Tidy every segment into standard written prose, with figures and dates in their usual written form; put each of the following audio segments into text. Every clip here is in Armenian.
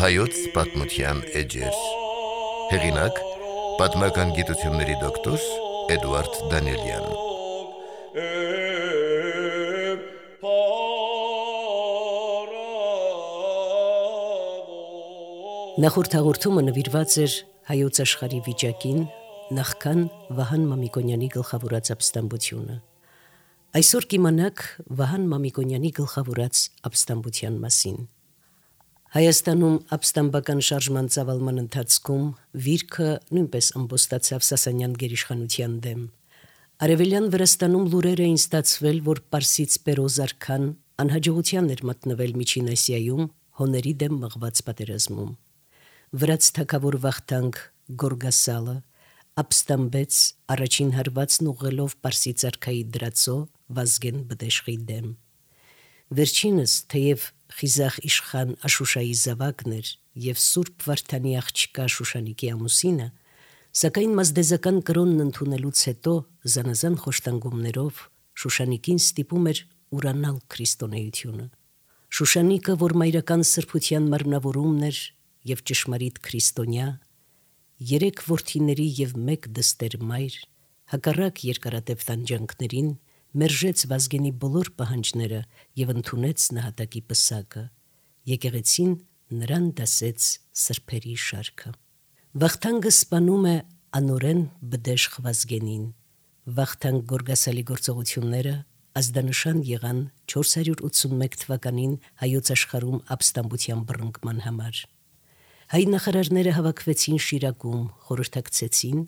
Հայոց պատմության էջեր։ Հեղինակ՝ պատմական գիտությունների դոկտոր Էդուարդ Դանիելյան։ Նախորդ հաղորդումը նվիրված էր հայոց աշխարհի վիճակին նախքան Վահան Մամիկոնյանի գլխավորած ապստամբությունը։ Այսօր կիմանաք Վահան Մամիկոնյանի գլխավորած ապստամբության մասին։ Հայաստանում ապստամբական շարժման ծավալման ընթացքում վիրքը նույնպես ամբոստացավ Սասանյան գերիշխանության դեմ։ Արևելյան Վրաստանում լուրեր էին ստացվել, որ Պարսից Պերոզ արքան անհաջողության էր մատնվել Միջին Ասիայում հոների դեմ մղված պատերազմում։ Վրաց թագավոր Վախթանգ Գորգասալը ապստամբեց առաջին հարվածն ուղղելով Պարսից արքայի դրածո Վազգեն Բդեշխի դեմ։ Վերջինս, թեև խիզախ իշխան Աշուշայի զավակն էր և Սուրբ Վարդանի աղջկա Շուշանիկի ամուսինը, սակայն մազդեզական կրոնն ընդունելուց հետո զանազան խոշտանգումներով Շուշանիկին ստիպում էր ուրանալ քրիստոնեությունը։ Շուշանիկը, որ մայրական սրբության մարմնավորումն էր և ճշմարիտ քրիստոնյա, 3 որդիների և 1 դստեր մայր, հակառակ երկարատև տանջանքներին, մերժեց Վազգենի բոլոր պահանջները և ընդունեց նահատակի պսակը։ Եկեղեցին նրան դասեց սրբերի շարքը։ Վախթանգը սպանում է անօրեն Բդեշխ Վազգենին։ Վախթանգ Գորգասալի գործողությունները ազդանշան եղան 481 թվականին հայոց աշխարհում ապստամբության բռնկման համար։ Հայ նախարարները հավաքվեցին Շիրակում, խորհրդակցեցին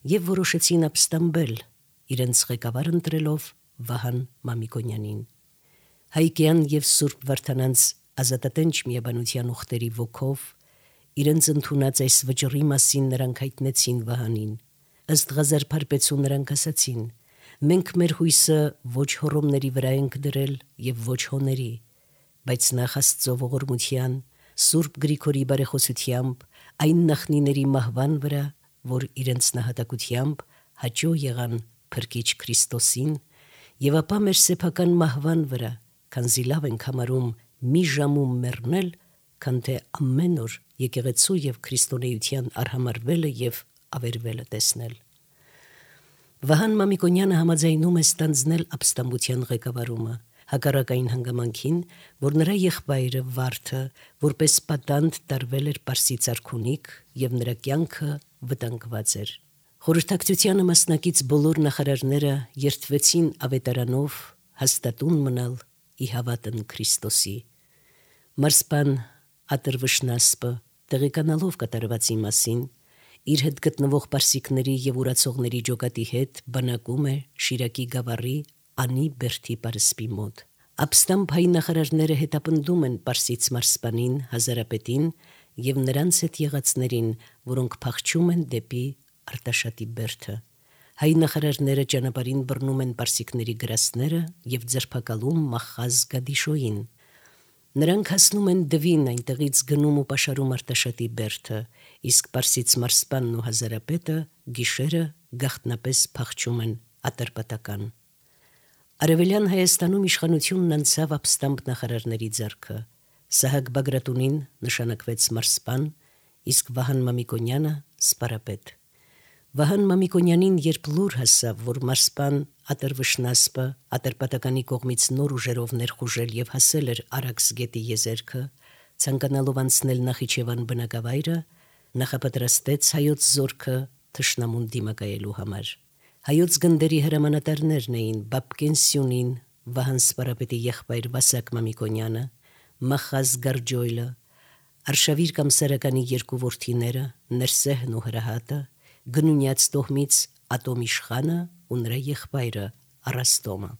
և որոշեցին ապստամբել, իրենց ղեկավար ընտրելով Վահան Մամիկոնյանին։ Հայկյան և Սուրբ Վարդանանց ազատատենչ միաբանության ուխտերի ոգով իրենց ընդունած այս վճռի մասին նրանք հայտնեցին Վահանին։ Ըստ Ղազար Փարպեցու նրանք ասացին. «Մենք մեր հույսը ոչ հոռոմների վրա ենք դրել և ոչ հոների, բայց նախ Աստծո ողորմության, Սուրբ Գրիգորի բարեխոսությամբ, այն նախնիների մահվան վրա, որ իրենց նահատակությամբ հաճո եղան Փրկիչ Քրիստոսին, և ապա մեր սեփական մահվան վրա, քանզի լավ ենք համարում մի ժամում մեռնել, քան թե ամեն օր եկեղեցու և քրիստոնեության արհամարհվելը և ավերվելը տեսնել»։ Վահան Մամիկոնյանը համաձայնում է ստանձնել ապստամբության ղեկավարումը, հակառակ այն հանգամանքին, որ նրա եղբայրը Վարդը որպես պատանդ տարվել էր Պարսից արքունիք և նրա կյանքը վտանգված էր։ Խորհրդակցությանը մասնակից բոլոր նախարարները երդվեցին ավետարանով հաստատուն մնալ ի հավատն Քրիստոսի։ Մարսպան Ատրվշնասպը, տեղեկանալով կատարվածի մասին, իր հետ գտնվող պարսիկների և ուրացողների ջոկատի հետ բանակում է Շիրակի գավառի Անի Բերդի պարսպի մոտ։ Ապստամբ հայ նախարարները հետապնդում են պարսից մարսպանին, հազարապետին և նրանց հետ եղածներին, որոնք փախչում են դեպի Արտաշատի Բերդը։ Հայ նախարարները ճանապարհին բռնում են պարսիկների գրաստները և ձերբակալում Մախազ Գադիշոյին։ Նրանք հասնում են Դվին, այնտեղից գնում ու պաշարում Արտաշատի Բերդը, իսկ պարսից մարսպանն ու հազարապետը գիշերը գաղտնապես փախչում են Ատրպատական։ Արևելյան Հայաստանում իշխանությունն անցավ ապստամբ նախարարների ձեռքը։ Սահակ Բագրատունին նշանակվեց մարսպան, իսկ Վահան Մամիկոնյանը սպարապետ։ Վահան Մամիկոնյանին երբ լուր հասավ, որ մարսպան Ատրվշնասպը Ատրպատականի կողմից նոր ուժերով ներխուժել և հասել էր Արաքս գետի եզերքը, ցանկանալով անցնել Նախիջևան բնակավայրը, նախապատրաստեց հայոց զորքը թշնամուն դիմակայելու համար։ Հայոց գնդերի հրամանատարներն էին Բաբկեն Սյունին, Վահան սպարապետի եղբայր Վասակ Մամիկոնյանը, Մախազ Գարջոյլը, Արշավիր կամ Սարականի 2 որդիները, Ներսեհն ու Հրահատը, Գնունյաց տոհմից Ատոմ իշխանը ու նրա եղբայրը Առաստոմը։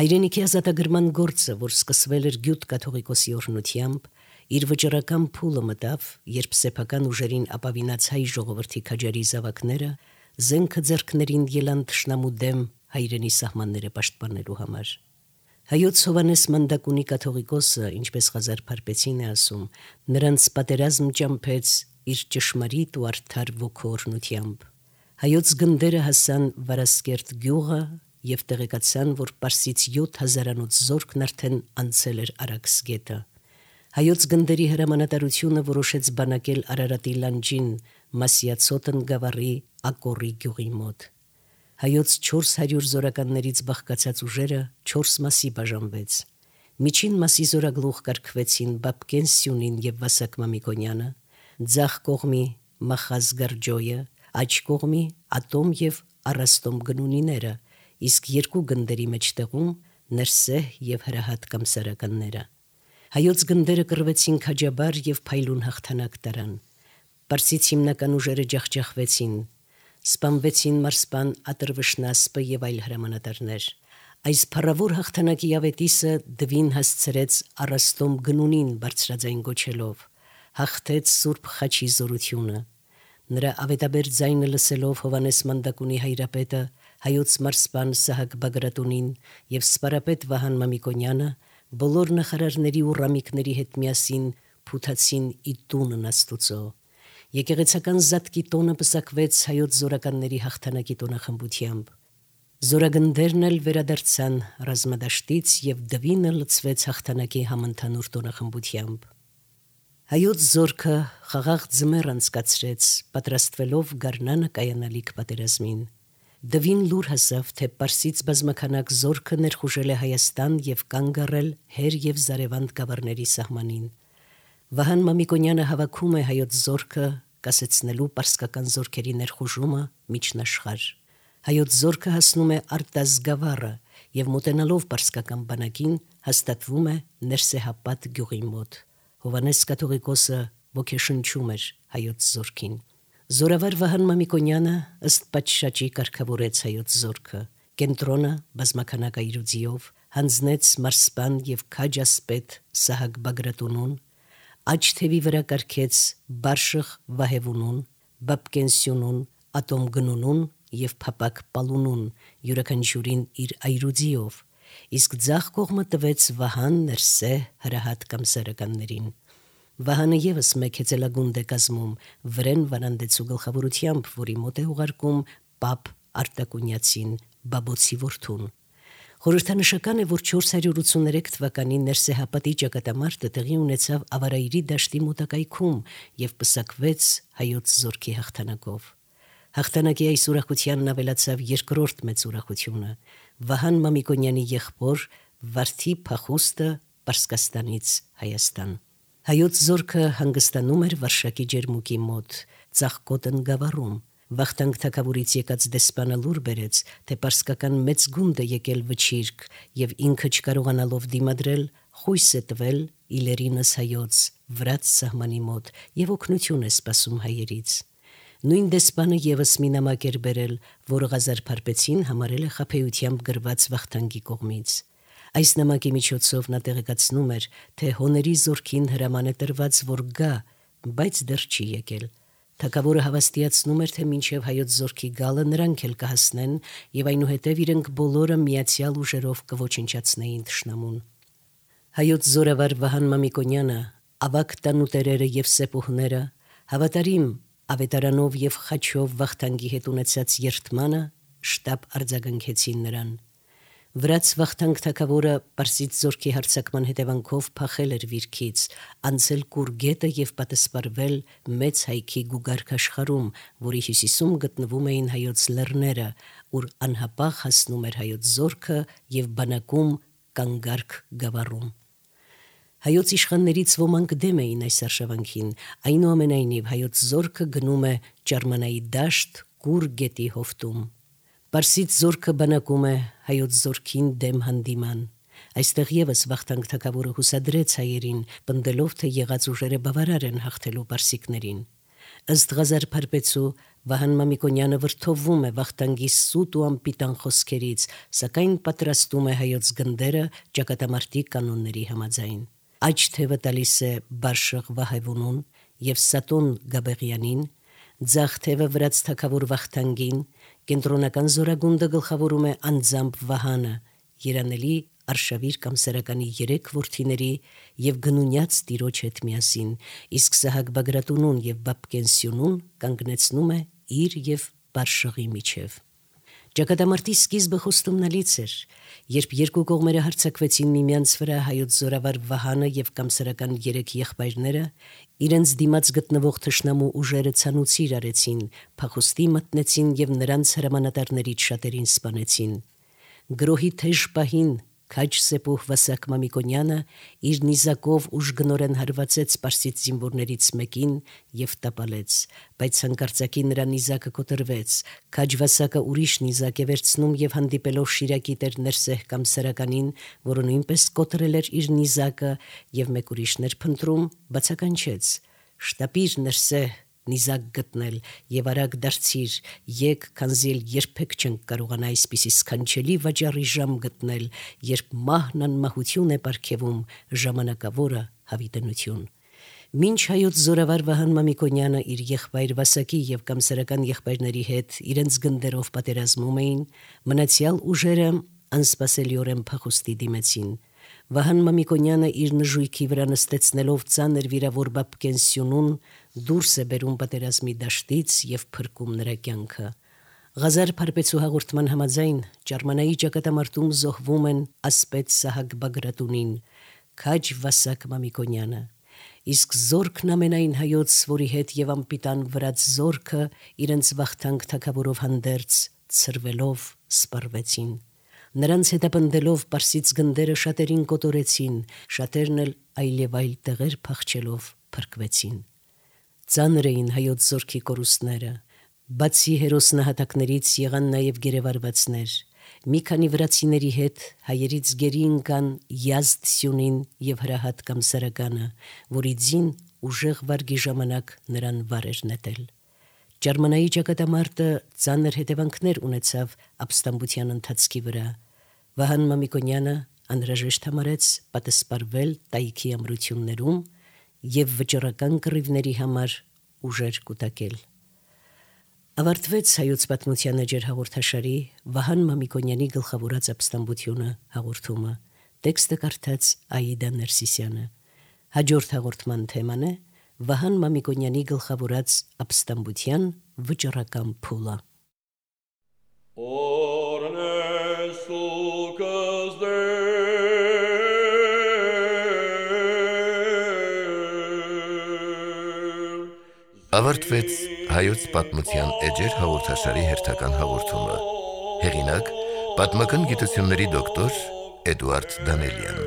Հայրենիքի ազատագրման գործը, որ սկսվել էր Գյուտ կաթողիկոսի օրհնությամբ, իր վճռական փուլը մտավ, երբ սեփական ուժերին ապավինած հայ ժողովրդի քաջարի զավակները զենքը ձեռքներին ելան թշնամու դեմ հայրենի սահմանները պաշտպանելու համար։ Հայոց Հովհաննես Մանդակունի կաթողիկոսը, ինչպես Ղազար Փարպեցին է ասում, նրանց պատերազմ ճամփեց իր ճշմարիտ ու արդար ոգու օրհնությամբ։ Հայոց գնդերը հասան Վարասկերտ գյուղը և տեղեկացան, որ Պարսից 7000-անոց զորքն արդեն անցել էր Արաքս գետը։ Հայոց գնդերի հրամանատարությունը որոշեց բանակել Արարատի լանջին Մասիացոտն գավառի Ակորի գյուղի մոտ։ Հայոց 400 զորականներից բաղկացած ուժերը 4 մասի բաժանվեց։ Միջին մասի զորագլուխ կարգվեցին Բաբկեն Սյունին և Վասակ Մամիկոնյանը, ձախ կողմի Մախազ Գարջոյը, աջ կողմի Ատոմ և Առաստոմ գնունիները, իսկ երկու գնդերի մեջտեղում Ներսեհ և Հրահատ կամսարականները։ Հայոց գնդերը կռվեցին քաջաբար և փայլուն հաղթանակ տարան։ Պարսից հիմնական ուժերը ջախջախվեցին, սպանվեցին մարսպան Ատրվշնասպը և այլ հրամանատարներ։ Այս փառավոր հաղթանակի ավետիսը Դվին հասցրեց Առաստոմ գնունին բարձրաձայն գոչելով, հաղթեց Սուրբ Խաչի զորությունը։ Նրա ավետաբեր ձայնը լսելով Հովանես Մանդակունի հայրապետը, հայոց մարսպան Սահակ Բագրատունին և սպարապետ Վահան Մամիկոնյանը բոլոր նախարարների ու ռամիկների հետ միասին փութացին ի տունն Աստուծո։ Եկեղեցական զատկի տոնը պսակվեց հայոց զորականների հաղթանակի տոնախմբությամբ։ Զորագնդերն էլ վերադարձան ռազմադաշտից և Դվինը լցվեց հաղթանակի համընդհանուր տոնախմբությամբ։ Հայոց զորքը խաղաղ ձմեռ անցկացրեց, պատրաստվելով գարնանը կայանալիք պատերազմին։ Դվին լուր հասավ, թե Պարսից բազմաքանակ զորքը ներխուժել է Հայաստան և կանգ առել Հեր և Զարևանդ գավառների սահմանին։ Վահան Մամիկոնյանը հավաքում է հայոց զորքը, կասեցնելու պարսկական զորքերի ներխուժումը միջնաշխարհ։ Հայոց զորքը հասնում է Արտազ գավառը և մոտենալով պարսկական բանակին հաստատվում է Ներսեհապատ գյուղի մոտ։ Հովանես կաթողիկոսը ոգեշնչում էր հայոց զորքին։ Զորավար Վահան Մամիկոնյանը ըստ պատշաճի կարգավորեց հայոց զորքը։ Կենտրոնը բազմաքանակ այրուձիով հանձնեց մարսպան և քաջ ասպետ Սահակ Բագրատունուն, աջ թևի վրա կարգեց Բարշխ Վահևունուն, Բաբկեն Սյունուն, Ատոմ գնունուն և Փապակ Պալունուն, յուրաքանչյուրին իր այրուձիով, իսկ ձախ կողմը տվեց Վահան, Ներսեհ, Հրահատ կամսարականներին։ Վահանը ևս մեկ հեծելագունդ է կազմում Վրեն Վարանդեցու գլխավորությամբ, որի մոտ է ուղարկում Պապ Արտակունյացին, Բաբոցի որդուն։ Խորհրդանշական է, որ 483 թվականին Ներսեհապատի ճակատամարտը տեղի ունեցավ Ավարայրի դաշտի մոտակայքում և պսակվեց հայոց զորքի հաղթանակով։ Հաղթանակի այս ուրախությանն ավելացավ երկրորդ մեծ ուրախությունը՝ Վահան Մամիկոնյանի եղբոր Վարդի փախուստը Պարսկաստանից Հայաստան։ Հայոց զորքը հանգստանում էր Վարշակի ջերմուկի մոտ, Ծաղկոտն գավառում։ Վախթանգ թագավորից եկած դեսպանը լուր բերեց, թե պարսկական մեծ գունդ է եկել վչիրք և ինքը չկարողանալով դիմադրել, խույս է տվել իլերինս հայոց վրաց սահմանի մոտ և օգնություն է սպասում հայերից։ Նույն դեսպանը ևս մի նամակ էր բերել, որը Ղազար Փարպեցին համարել է խաբեությամբ գրված Վախթանգի կողմից։ Այս նամակի միջոցով նա տեղեկացնում էր, թե հոների զորքին հրաման է տրված, որ գա, բայց դեռ չի եկել։ Թագավորը հավաստիացնում էր, թե մինչև հայոց զորքի գալը նրանք էլ կհասնեն և այնուհետև իրենք բոլորը միացյալ ուժերով կոչնչացնեին թշնամուն։ Հայոց զորավար Վահան Մամիկոնյանը, ավագ տանուտերերը և սեպուհները, հավատարիմ ավետարանով և խաչով Վախթանգի հետ ունեցած երդմանը շտապ արձագանքեցին նրան։ Վրաց Վախթանգ թագավորը Պարսից զորքի հարձակման հետևանքով փախել էր վիրքից, անցել Կուր գետը և պատսպարվել Մեծ Հայքի գուգարք աշխարհում, որի հյուսիսում գտնվում էին հայոց լեռները, ուր անհապաղ հասնում էր հայոց զորքը և բանակում Կանգարք գավառում։ Հայոց իշխաններից ոմանք դեմ էին այս արշավանքին, այնուամենայնիվ հայոց զորքը գնում է Ճարմանայի դաշտ Կուր գետի հովտում։ Պարսից զորքը բանակում է հայոց զորքին դեմ հանդիման։ Այստեղ ևս Վախթանգ թագավորը հուսադրեց հայերին, պնդելով, թե եղած ուժերը բավարար են հաղթելու պարսիկներին։ Ըստ Ղազար Փարպեցու, Վահան Մամիկոնյանը վրդովվում է Վախթանգի սուտ ու անպիտան խոսքերից, սակայն պատրաստում է հայոց գնդերը ճակատամարտի կանոնների համաձայն։ Աջ թևը տալիս է Բարշխ Վահևունուն և Սատոն Գաբեղյանին, ձախ թևը վրաց թագավոր Վախթանգին, կենտրոնական զորագունդը գլխավորում է անձամբ Վահանը, երանելի Արշավիր կամսարականի 3 որդիների և գնունյաց տիրոջ հետ միասին, իսկ Սահակ Բագրատունուն և Բաբկեն Սյունուն կանգնեցնում է իր և բարշղի միջև։ Ճակատամարտի սկիզբը խոստումնալից էր, երբ երկու կողմերը հարձակվեցին միմյանց վրա, հայոց զորավար Վահանը եւ կամսարական 3 եղբայրները իրենց դիմաց գտնվող թշնամու ուժերը ցանուցիր արեցին, փախուստի մտնեցին եւ նրանց հրամանատարներից շատերին սպանեցին։ Գրոհի թեժ պահին քաջ Սեպուհ Վասակ Մամիկոնյանը իր նիզակով ուժգնորեն հարվածեց պարսից զինվորներից մեկին եւ տապալեց, բայց հանկարծակի նրա նիզակը կոտրվեց։ Քաջ Վասակը ուրիշ նիզակ է վերցնում եւ հանդիպելով Շիրակի տեր Ներսեհ Կամսարականին, որը նույնպես կոտրել էր իր նիզակը եւ մեկ ուրիշներ փնտրում, բացականչեց. «Շտապիր, Ներսեհ, նիզակ գտնել եւ արագ դարձիր, եկ, քանզի երբեք չենք կարողանա այսպիսի սքանչելի վաճառի ժամ գտնել, երբ մահն անմահություն է պարգևում, ժամանակավորը հավիտենություն»։ Մինչ հայոց զորավար Վահան Մամիկոնյանը իր եղբայր Վասակի եւ կամսարական եղբայրների հետ իրենց գնդերով պատերազմում էին, մնացյալ ուժերը անսպասելիորեն փախուստի դիմեցին։ Վահան Մամիկոնյանը իր նժույքի վրա նստեցնելով ծանր վիրավոր Բաբկեն Սյունուն դուրս է բերում պատերազմի դաշտից եւ փրկում նրա կյանքը։ Ղազար Փարպեցու հաղորդման համաձայն Ճարմանայի ճակատամարտում զոհվում են ասպետ Սահակ Բագրատունին, քաջ Վասակ Մամիկոնյանը, իսկ զորքն ամենայն հայոց, որի հետ եւ անպիտան վրաց զորքը իրենց վախթանք թագավորով հանդերձ ցրվելով սպառվեցին։ Նրանց հետապնդելով պարսից գնդերը շատերին կոտորեցին, շատերն էլ այլև այլ տեղեր փախչելով փրկվեցին։ Ծանր էին հայոց զորքի կորուստները, բացի հերոսնահատակներից եղան նաև գերեվարվածներ։ Մի քանի վրացիների հետ հայերից գերի ընկան Յազդ Սյունին եւ Հրահատ Կամսարականը, որի ձին ուժեղ վարգի ժամանակ նրան վար էր նետել։ Ճարմանայի ճակատամարտը ծանր հետևանքներ ունեցավ ապստամբության ընթացքի վրա։ Վահան Մամիկոնյանը անհրաժեշտ համարեց պատասպարվել տայքի ամրություններում եւ վճռական կռիվների համար ուժեր կուտակել։ Ավարտվեց հայոց պատմության էջեր հաղորդաշարի Վահան Մամիկոնյանի գլխավորած ապստամբությունը հաղորդումը։ Տեքստը կարդաց Աիդա Ներսիսյանը։ Հաջորդ հաղորդման թեման է Վահան Մամիկոնյանի գլխավորած ապստամբության վճռական փուլը։ Ավարտվեց հայոց պատմության էջեր հաղորդաշարի հերթական հաղորդումը։ Հեղինակ պատմական գիտությունների դոկտոր Էդուարդ Դանելյան։